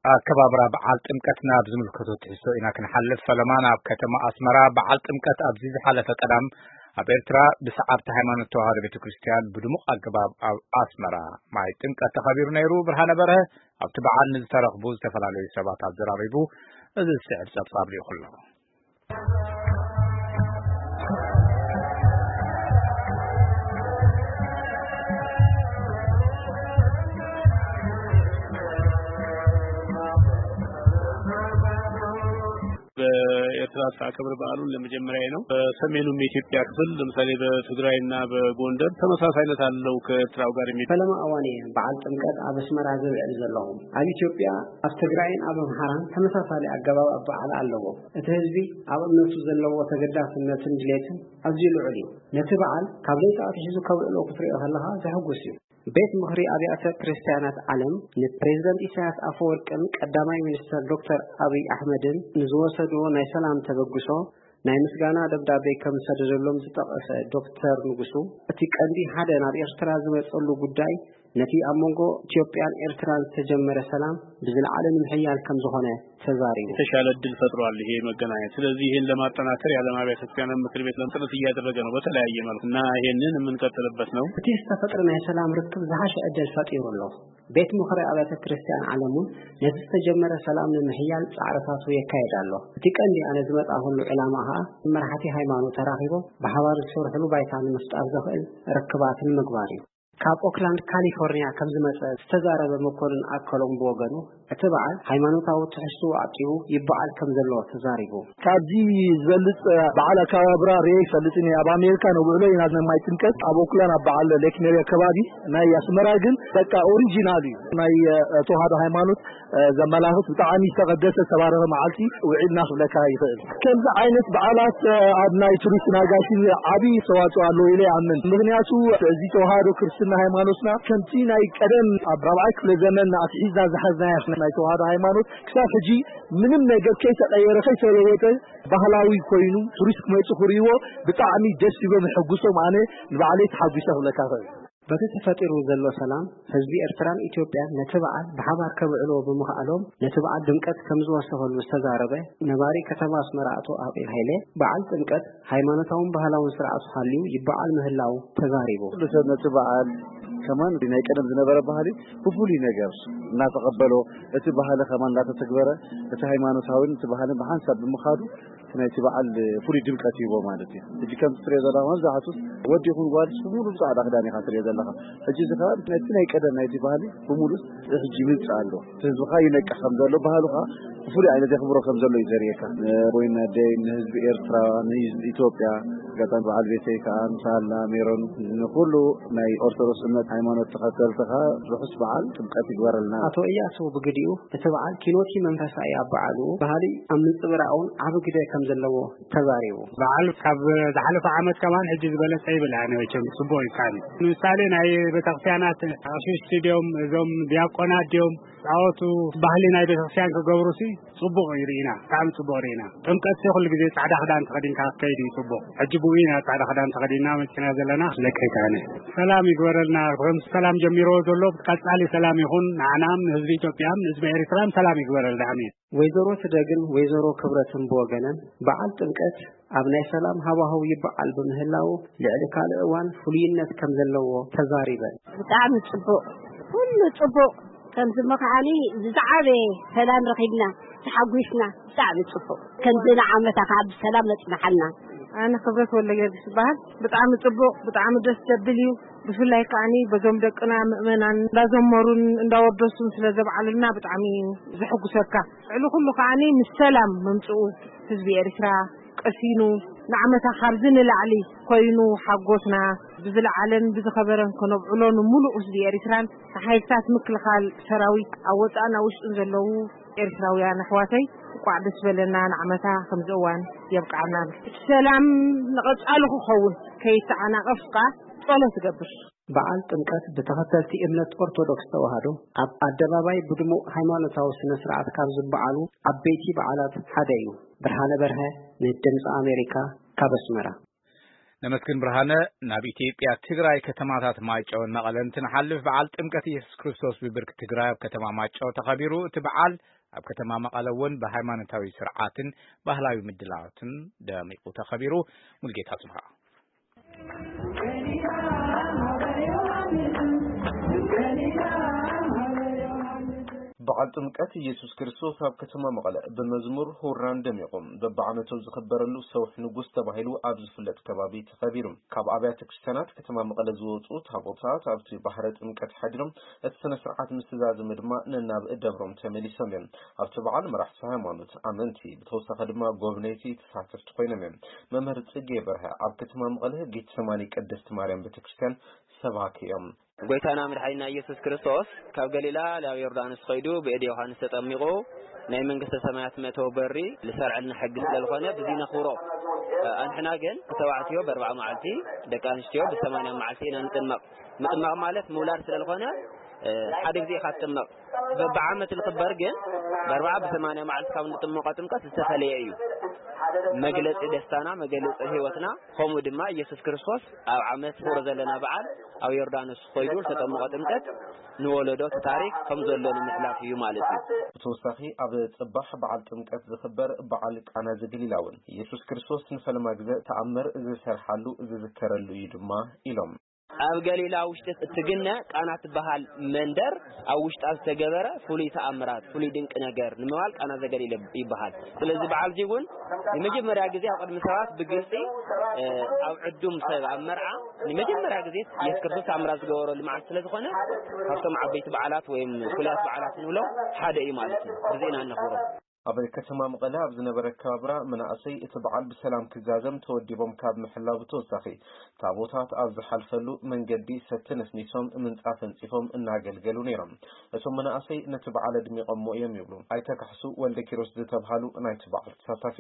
ኣከባብራ በዓል ጥምቀት ናብ ዝምልከቶ ትሕዝቶ ኢና ክንሓልፍ። ፈለማ ናብ ከተማ ኣስመራ። በዓል ጥምቀት ኣብዚ ዝሓለፈ ቀዳም ኣብ ኤርትራ ብሰዓብቲ ሃይማኖት ተዋህዶ ቤተ ክርስቲያን ብድሙቕ ኣገባብ ኣብ ኣስመራ ማይ ጥምቀት ተኸቢሩ ነይሩ። ብርሃነ በርሀ ኣብቲ በዓል ንዝተረኽቡ ዝተፈላለዩ ሰባት ኣዘራሪቡ፣ እዚ ዝስዕብ ጸብጻብ ልኢኹ ኣሎ። በኤርትራ አከባበር በዓሉን ለመጀመሪያ ነው። በሰሜኑም የኢትዮጵያ ክፍል ለምሳሌ በትግራይና በጎንደር ተመሳሳይነት አለው ከኤርትራው ጋር የሚ- ፈለማ እዋን እየ በዓል ጥምቀት ኣብ ኣስመራ ዝብዕል ዘለኹ። ኣብ ኢትዮጵያ፣ ኣብ ትግራይን ኣብ ኣምሓራን ተመሳሳሊ ኣገባብ ኣበዓል ኣለዎ። እቲ ህዝቢ ኣብ እምነቱ ዘለዎ ተገዳስነትን ድሌትን ኣዝዩ ልዑል እዩ። ነቲ በዓል ካብ ለይቲ ኣትሒዙ ከብዕሎ ክትሪኦ ከለኻ ዘሐጉስ እዩ። ቤት ምኽሪ ኣብያተ ክርስቲያናት ዓለም ንፕሬዝደንት ኢሳያስ ኣፈወርቅን ቀዳማይ ሚኒስተር ዶክተር ኣብይ ኣሕመድን ንዝወሰድዎ ናይ ሰላም ተበግሶ ናይ ምስጋና ደብዳቤ ከም ዝሰደደሎም ዝጠቐሰ ዶክተር ንጉሱ፣ እቲ ቀንዲ ሓደ ናብ ኤርትራ ዝመጸሉ ጉዳይ ነቲ ኣብ መንጎ ኢትዮጵያን ኤርትራን ዝተጀመረ ሰላም ብዝለዓለ ንምሕያል ከም ዝኾነ ተዛሪቡ። የተሻለ እድል ፈጥሯል ይሄ መገናኘት። ስለዚህ ይህን ለማጠናከር የዓለም አብያተ ክርስቲያናት ምክር ቤት ጥረት እያደረገ ነው በተለያየ መልኩ እና ይሄንን የምንቀጥልበት ነው። እቲ ዝተፈጥረ ናይ ሰላም ርክብ ዝሓሸ ዕድል ፈጢሩ ኣሎ። ቤት ምኽሪ ኣብያተ ክርስቲያን ዓለም እውን ነቲ ዝተጀመረ ሰላም ንምሕያል ጻዕርታቱ የካይድ ኣሎ። እቲ ቀንዲ ኣነ ዝመጻእኩሉ ዕላማ ከኣ መራሕቲ ሃይማኖት ተራኺቦም ብሓባር ዝሰርሕሉ ባይታ ንምፍጣር ዘኽእል ርክባት ንምግባር እዩ። ካብ ኦክላንድ ካሊፎርኒያ ከም ዝመጸ ዝተዛረበ መኮንን ኣከሎም ብወገኑ፣ እቲ በዓል ሃይማኖታዊ ትሕዝትኡ ኣጥሪኡ ይበዓል ከም ዘሎ ተዛሪቡ። ካብዚ ዝበልጽ በዓል ኣከባብራ ርኤ ይፈልጥን እየ። ኣብ ኣሜሪካ ነብዕሎ ኢና ናይ ማይ ጥምቀት ኣብ ኦክላንድ ኣብ በዓል ሌክ ሜሪ ኣከባቢ። ናይ ኣስመራ ግን በቃ ኦሪጂናል እዩ። ናይ ተዋህዶ ሃይማኖት ዘመላኽት ብጣዕሚ ዝተቐደሰ ዝተባረኸ መዓልቲ ውዒልና ክብለካ ይኽእል። ከምዚ ዓይነት በዓላት ኣብ ናይ ቱሪስት ናጋሲ ዓብዪ ኣስተዋፅኦ ኣለዎ ኢለ ይኣምን። ምኽንያቱ እዚ ተዋህዶ ክርስትና ሃይማኖትና ከምቲ ናይ ቀደም ኣብ ራብዓይ ክፍለ ዘመን ኣትሒዝና ዝሓዝናያ ናይ ተዋህዶ ሃይማኖት ክሳብ ሕጂ ምንም ነገር ከይተቐየረ ከይተለወጠ ባህላዊ ኮይኑ ቱሪስት ክመፁ ክርእይዎ ብጣዕሚ ደስ ይብሎም ይሕጉሶም። ኣነ ንባዕለይ ተሓጒሰ ክብለካ እኽእል። በቲ ተፈጢሩ ዘሎ ሰላም ህዝቢ ኤርትራን ኢትዮጵያን ነቲ በዓል ብሓባር ከብዕልዎ ብምኽኣሎም ነቲ በዓል ድምቀት ከም ዝወሰኸሉ ዝተዛረበ ነባሪ ከተማ ኣስመራ ኣቶ ኣቤል ሃይለ በዓል ጥምቀት ሃይማኖታውን ባህላውን ስርዓቱ ሃልዩ ይበዓል ምህላው ተዛሪቡ። ኩሉ ሰብ ነቲ በዓል ከማን ናይ ቀደም ዝነበረ ባህሊ ብፍሉይ ነገር እናተቐበሎ እቲ ባህሊ ከማን እናተተግበረ እቲ ሃይማኖታዊን እቲ ባህልን ብሓንሳብ ብምኻዱ ናይቲ በዓል ፍሉይ ድምቀት ይህቦ ማለት እዩ። ሕጂ ከም ትሪኦ ዘለኻ መብዛሕቱ ወዲ ይኹን ጓል ብሙሉ ብጻዕዳ ክዳን ኢኻ ትሪኦ ዘለኻ። ሕጂ እዚ ከዓ ነቲ ናይ ቀደም ናይቲ ባህሊ ብሙሉ ሕጂ ይምንጽእ ኣሎ። እቲ ህዝቢ ከዓ ይነቅሕ ከም ዘሎ ባህሉ ከዓ ብፍሉይ ዓይነት የኽብሮ ከም ዘሎ እዩ ዘርእየካ። ንወይን ኣደይ፣ ንህዝቢ ኤርትራ፣ ንህዝቢ ኢትዮጵያ፣ ኣጋጣሚ በዓል ቤተይ ከዓ ምሳና ሜሮን ንኩሉ ናይ ኦርቶዶክስ እምነት ሃይማኖት ተኸተልቲ ከዓ ርሑስ በዓል ጥምቀት ይግበረልና። ኣቶ እያሱ ብግዲኡ እቲ በዓል ኪኖቲ መንፈሳዊ ኣበዓልኡ ባህሊ ኣብ ምንጽብራቕ እውን ዓቢ ግደ ከም ዘለዎ ተዛሪቡ። በዓል ካብ ዝሓለፈ ዓመት ከማን ሕጂ ዝበለጸ ይብል ኣነ መቸም ጽቡቕ እዩ። ካን ንምሳሌ ናይ ቤተክርስትያናት ኣሽሽቲ ድዮም እዞም ዲያቆናት ድዮም ጻወቱ ባህሊ ናይ ቤተክርስትያን ክገብሩ ሲ ጽቡቕ እዩ ርኢና፣ ብጣዕሚ ጽቡቕ ርኢና። ጥምቀት ሲ ኩሉ ግዜ ጻዕዳ ክዳን ተኸዲንካ ክትከይድ እዩ ጽቡቕ። ሕጂ ብኡ ኢና ጻዕዳ ክዳን ተኸዲንና መጺና ዘለና። ለከይታነ ሰላም ይግበረልና። ከም ሰላም ጀሚሮ ዘሎ ቀጻሊ ሰላም ይኹን ንዓናም ንህዝቢ ኢትዮጵያን ንህዝቢ ኤርትራን ሰላም ይግበረልና። ኣሜን። ወይዘሮ ትደግን ወይዘሮ ክብረትን ብወገነን በዓል ጥምቀት ኣብ ናይ ሰላም ሃዋህው ይበዓል ብምህላው ልዕሊ ካልእ እዋን ፍሉይነት ከም ዘለዎ ተዛሪበን። ብጣዕሚ ጽቡቕ፣ ኩሉ ጽቡቕ። ከምዚ ምኽዓኒ ዝዓበየ ሰላም ረኺብና ተሓጒስና። ብጣዕሚ ጽቡቕ። ከምዚ ንዓመታ ከዓ ብሰላም መጽንሓልና። ኣነ ክብረት ወልደጊዮርጊስ ይበሃል። ብጣዕሚ ጽቡቕ፣ ብጣዕሚ ደስ ዘብል እዩ። ብፍላይ ከዓኒ በዞም ደቅና ምእመናን እንዳዘመሩን እንዳወደሱን ስለ ዘብዓሉልና ብጣዕሚ እዩ ዘሐጉሰካ። ልዕሊ ኩሉ ከዓኒ ምስ ሰላም ምምጽኡ ህዝቢ ኤርትራ ቀሲኑ ንዓመታ ካብዚ ንላዕሊ ኮይኑ ሓጎስና ብዝለዓለን ብዝኸበረን ከነብዕሎ ንምሉእ ህዝቢ ኤርትራን ንሓይልታት ምክልኻል ሰራዊት ኣብ ወጻእን ኣብ ውሽጥን ዘለዉ ኤርትራውያን ኣሕዋተይ እንቋዕ ደስ በለና። ንዓመታ ከምዚ እዋን የብቅዓና። እቲ ሰላም ንቐጻሊ ክኸውን ከይተዓናቐፍ ከኣ ጸሎት እገብር። በዓል ጥምቀት ብተኸተልቲ እምነት ኦርቶዶክስ ተዋህዶ ኣብ ኣደባባይ ብድሙቕ ሃይማኖታዊ ስነ ስርዓት ካብ ዝበዓሉ ዓበይቲ በዓላት ሓደ እዩ። ብርሃነ በርሀ ንድምፂ ኣሜሪካ ካብ ኣስመራ። ነመስግን ብርሃነ። ናብ ኢትዮጵያ ትግራይ ከተማታት ማይጨውን መቐለን እንትንሓልፍ፣ በዓል ጥምቀት ኢየሱስ ክርስቶስ ብብርኪ ትግራይ ኣብ ከተማ ማይጨው ተኸቢሩ። እቲ በዓል ኣብ ከተማ መቐለ እውን ብሃይማኖታዊ ስርዓትን ባህላዊ ምድላዋትን ደሚቑ ተኸቢሩ። ሙልጌታ ጽብሃ። በዓል ጥምቀት ኢየሱስ ክርስቶስ ኣብ ከተማ መቐለ ብመዝሙር ሁራን ደሚቑ በብዓመቱ ኣብ ዝኽበረሉ ሰውሕ ንጉስ ተባሂሉ ኣብ ዝፍለጥ ከባቢ ተኸቢሩ። ካብ ኣብያተ ክርስቲያናት ከተማ መቐለ ዝወፁ ታቦታት ኣብቲ ባሕረ ጥምቀት ሓዲሮም እቲ ስነ ስርዓት ምስ ተዛዘመ ድማ ነናብ ደብሮም ተመሊሶም እዮም። ኣብቲ በዓል መራሕቲ ሃይማኖት፣ ኣመንቲ፣ ብተወሳኺ ድማ ጎብነይቲ ተሳተፍቲ ኮይኖም እዮም። መምህር ጽጌ በርሀ ኣብ ከተማ መቐለ ጌተሰማኒ ቅድስት ማርያም ቤተክርስትያን ሰባኪ እዮም። ጎይታና መድሓኒና ኢየሱስ ክርስቶስ ካብ ገሊላ ናብ ዮርዳኖስ ኸይዱ ብእድ ዮሃንስ ተጠሚቑ ናይ መንግስተ ሰማያት መእተዊ በሪ ዝሰርዐልና ሕጊ ስለ ዝኾነ፣ ብዚ ነኽብሮ። ኣንሕና ግን ተባዕትዮ በርብዓ መዓልቲ፣ ደቂ ኣንስትዮ ብሰማንያ መዓልቲ ኢና ንጥመቕ። ምጥማቕ ማለት ምውላድ ስለ ዝኾነ፣ ሓደ ግዜ ኢኻ ትጥመቕ። በብዓመት ዝኽበር ግን፣ በርብዓ ብሰማንያ መዓልቲ ካብ ንጥመቖ ጥምቀት ዝተፈለየ እዩ። መግለጺ ደስታና፣ መግለጺ ህይወትና። ከምኡ ድማ ኢየሱስ ክርስቶስ ኣብ ዓመት ፍቕሪ ዘለና በዓል ኣብ ዮርዳኖስ ኾይዱ ዝተጠመቐ ጥምቀት ንወለዶ እቲ ታሪክ ከም ዘሎ ንምሕላፍ እዩ ማለት እዩ። ብተወሳኺ ኣብ ጽባሕ በዓል ጥምቀት ዝኽበር በዓል ቃና ዘገሊላ እውን ኢየሱስ ክርስቶስ ንፈለማ ግዘ ተኣምር ዝሰርሓሉ ዝዝከረሉ እዩ ድማ ኢሎም። ኣብ ገሊላ ውሽጢ እትግነ ቃና ትበሃል መንደር ኣብ ውሽጣ ዝተገበረ ፍሉይ ተኣምራት፣ ፍሉይ ድንቂ ነገር ንምባል ቃና ዘገሊላ ይበሃል። ስለዚ በዓል እዚ እውን ንመጀመርያ ግዜ ኣብ ቅድሚ ሰባት ብግልጺ፣ እ፣ ኣብ ዕዱም ሰብ ኣብ መርዓ ንመጀመርያ ግዜ ኢየሱስ ክርስቶስ ተኣምራት ዝገበረሉ መዓልቲ ስለ ዝኾነ፣ ካብቶም ዓበይቲ በዓላት ወይም ፍሉያት በዓላት ንብሎም ሓደ እዩ ማለት እዩ። ብዚ ኢና እነኽብሮ። ኣብ ከተማ መቐለ ኣብ ዝነበረ ኣከባብራ መናእሰይ እቲ በዓል ብሰላም ክዛዘም ተወዲቦም ካብ ምሕላው ብተወሳኺ፣ ታቦታት ኣብ ዝሓልፈሉ መንገዲ ሰቲ ነስኒሶም ምንጻፍ ኣንጺፎም እናገልገሉ ነይሮም። እቶም መናእሰይ ነቲ በዓል ኣድሚቖሞ እዮም ይብሉ ኣይተ ካሕሱ ወልደ ኪሮስ ዝተብሃሉ ናይቲ በዓል ተሳታፊ።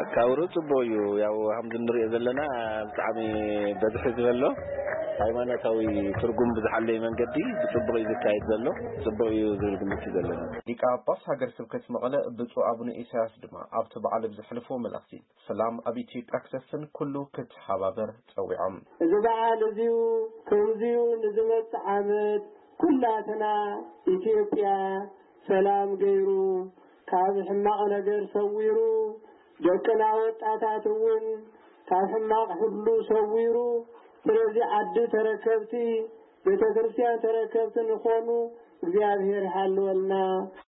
ኣካብሩ ጽቡቕ እዩ። ያው ከምዚ ንሪኦ ዘለና ብጣዕሚ በዝሒ ዝበሎ ሃይማኖታዊ ትርጉም ብዝሓለየ መንገዲ ብጽቡቕ እዩ ዝካየድ ዘሎ። ጽቡቕ እዩ ዝብል ግምት እዩ ዘለና። ሊቀ ጳጳስ ሃገረ ስብከት መቐለ ብፁዕ ኣቡነ ኢሳያስ ድማ ኣብቲ በዓል ብዘሕልፍዎ መልእኽቲ፣ ሰላም ኣብ ኢትዮጵያ ክሰፍን ኩሉ ክተሓባበር ጸዊዖም። እዚ በዓል እዚዩ ከምዚዩ ንዝመጽእ ዓመት ኩላትና ኢትዮጵያ ሰላም ገይሩ ካብ ሕማቕ ነገር ሰዊሩ ደቅና ወጣታት እውን ካብ ሕማቕ ሁሉ ሰዊሩ ስለዚ ዓዲ ተረከብቲ ቤተ ክርስቲያን ተረከብቲ ንኾኑ እግዚኣብሔር ይሓልወልና።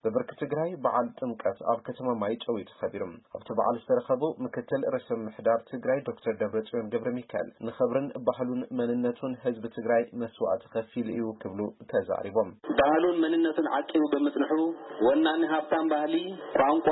ብብርኪ ትግራይ በዓል ጥምቀት ኣብ ከተማ ማይጨው እዩ ተኸቢሩ። ኣብቲ በዓል ዝተረኸቡ ምክትል ርእሰ ምምሕዳር ትግራይ ዶክተር ደብረጽዮን ገብረ ሚካኤል ንኽብርን ባህሉን መንነቱን ህዝቢ ትግራይ መስዋዕቲ ከፊሉ እዩ ክብሉ ተዛሪቦም። ባህሉን መንነቱን ዓቂቡ ብምጽንሑ ወናኒ ሃብታም ባህሊ፣ ቋንቋ፣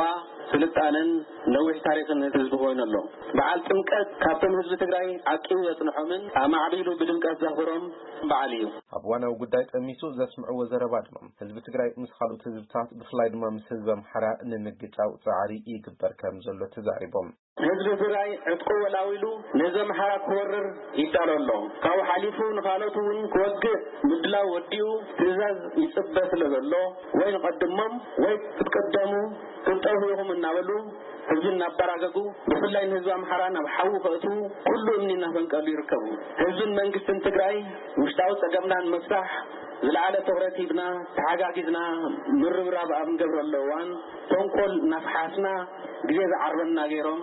ስልጣነን ነዊሕ ታሪኽን ህዝቢ ኮይኑ ኣሎ። በዓል ጥምቀት ካብቶም ህዝቢ ትግራይ ዓቂቡ ዘጽንሖምን ኣማዕቢሉ ብድምቀት ዘኽብሮም በዓል እዩ። ኣብ ዋናዊ ጉዳይ ጠሚሱ ዘስምዕዎ ዘረባ ድማ ህዝቢ ትግራይ ምስ ካልኦት ህዝብታት ብፍላይ ድማ ምስ ህዝቢ ኣምሓራ ንምግጫው ጻዕሪ ይግበር ከም ዘሎ ተዛሪቦም። ህዝቢ ትግራይ ዕጥቁ ወላዊሉ ነዚ ኣምሓራ ክወርር ይዳሎ ኣሎ። ካብኡ ሓሊፉ ንኻልኦት እውን ክወግእ ምድላው ወዲኡ ትእዛዝ ይጽበ ስለ ዘሎ ወይ ንቐድሞም ወይ ክትቅደሙ ክትጠፍኡ ኢኹም እናበሉ ህዝቢ እናበራገጉ ብፍላይ ንህዝቢ ኣምሓራ ናብ ሓዊ ከእትዉ ኩሉ እምኒ እናፈንቀሉ ይርከቡ። ህዝብን መንግስትን ትግራይ ውሽጣዊ ጸገምና ንምፍታሕ ዝለዓለ ትኹረት ሂብና ተሓጋጊዝና ምርብራብ ኣብ እንገብረሉ እዋን ተንኮል እናፈሓስና ግዜ ዝዓርበና ገይሮም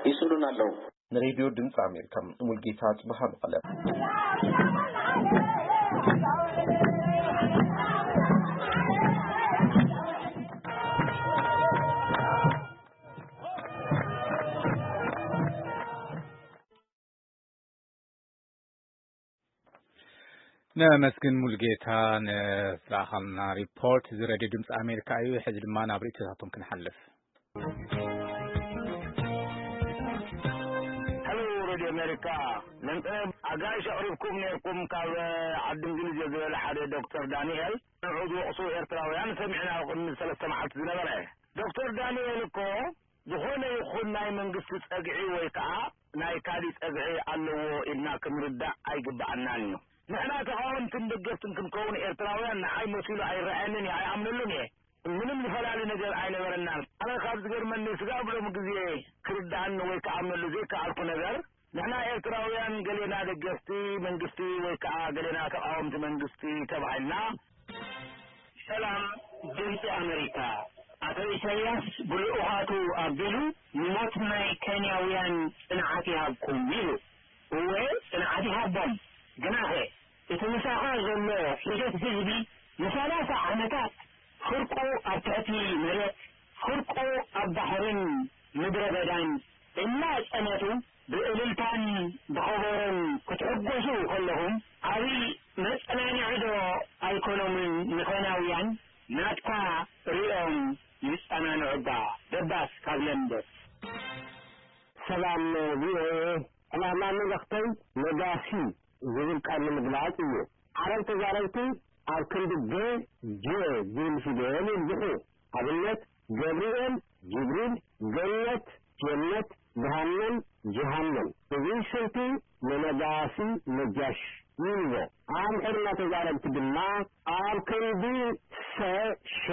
ይስእሉና ኣለዉ። ንሬድዮ ድምፂ ኣሜሪካ ሙልጌታ ጽብሃ መቐለ። ነመስግን ሙልጌታ ንዝለኣኸልና ሪፖርት። እዚ ሬድዮ ድምፂ ኣሜሪካ እዩ። ሕዚ ድማ ናብ ርእይቶታቶም ክንሓልፍ። ሄሎ ሬድዮ ኣሜሪካ፣ ለንጠ ኣጋይሽ ኣቕሪብኩም ነርኩም ካብ ዓዲ እንግሊዝ ዝበለ ሓደ ዶክተር ዳንኤል ንዑ ዝወቕሱ ኤርትራውያን ሰሚዕና ኣብ ቅድሚ ሰለስተ መዓልቲ ዝነበረ። ዶክተር ዳንኤል እኮ ዝኾነ ይኹን ናይ መንግስቲ ጸግዒ ወይ ከኣ ናይ ካሊ ጸግዒ ኣለዎ ኢልና ክንርዳእ ኣይግብኣናን እዩ። ንሕና ተቓወምትን ደገፍትን ክንከውን ኤርትራውያን ንዓይ መሲሉ ኣይረኣየንን እየ፣ ኣይኣምነሉን እየ። ምንም ዝፈላሊ ነገር ኣይነበረናን። ኣነ ካብ ዝገርመኒ ስጋብ ሎሚ ግዜ ክርዳኣኒ ወይ ክኣምነሉ ዘይከኣልኩ ነገር ንሕና ኤርትራውያን ገሌና ደገፍቲ መንግስቲ ወይ ከዓ ገሌና ተቃወምቲ መንግስቲ ተባሂልና። ሰላም ድምፂ ኣመሪካ። ኣቶ ኢሳያስ ብልኡኻቱ ኣቢሉ ንሞት ናይ ኬንያውያን ጽንዓት ይሃብኩም ኢሉ። እወ፣ ጽንዓት ይሃቦም። ግናኸ እቲ ምሳኻ ዘሎ ሒደት ህዝቢ ንሰላሳ ዓመታት ፍርቁ ኣብ ትሕቲ መሬት፣ ፍርቁ ኣብ ባሕርን ምድረ በዳን እናጸነቱ ብእልልታን ብኸበሮን ክትሕጎሱ ከለኹም፣ ዓብዪ መጸናንዒ ዶ ኣይኮኖምን ንኸናውያን? ናትካ ሪኦም ይጸናንዑ እባ። ደባስ ካብ ለንደን። ሰላም ቪኦኤ፣ ዕላማ መልእኽተይ ነጋሲ ዝብል ቃል ንምግላጽ እዩ። ዓረብ ተዛረብቲ ኣብ ክንዲ ገ፣ ጀ ዝብል ፊደል ይብዝሑ። ኣብነት፣ ገብርኤል፣ ጅብሪል፣ ገነት፣ ጀነት፣ ገሃነም፣ ጀሃነም። እዚ ስልቲ ንነጋሲ ነጃሽ ይብሎ። ኣምሕርና ተዛረብቲ ድማ ኣብ ክንዲ ሰ፣ ሸ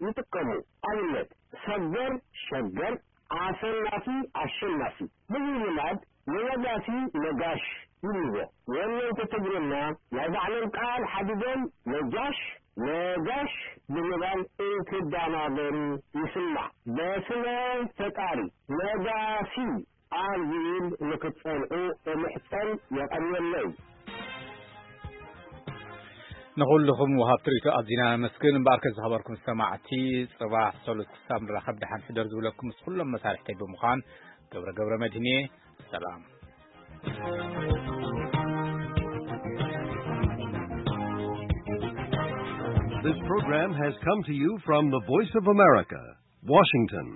ይጥቀሙ። ኣብነት፣ ሰገር፣ ሸገር፣ ኣሰናፊ፣ ኣሸናፊ። ብዚ ልማድ ንነጋሲ ነጋሽ ይብልዎ። ወነንቲ ትግርና ናይ ባዕሎም ቃል ሓዲጎም ነጃሽ፣ ነጋሽ ብምባል እንትዳናገሩ ይስማዕ። በስመ ፈጣሪ ነጋሲ ኣብ ዝብል ንክትጸንዑ እምሕጸን የቐርበለይ። ንኹልኹም ወሃብቲ ርእይቶ ኣዚና ነመስግን። እምበኣርከ ዝኸበርኩም ሰማዕቲ፣ ጽባሕ ሰሉስ ክሳብ ንራኸብ ደሓን ሕደር ዝብለኩም ምስ ኩሎም መሳርሕተይ ብምዃን ገብረ ገብረ መድህን እየ። ሰላም። This program has come to you from the Voice of America, Washington.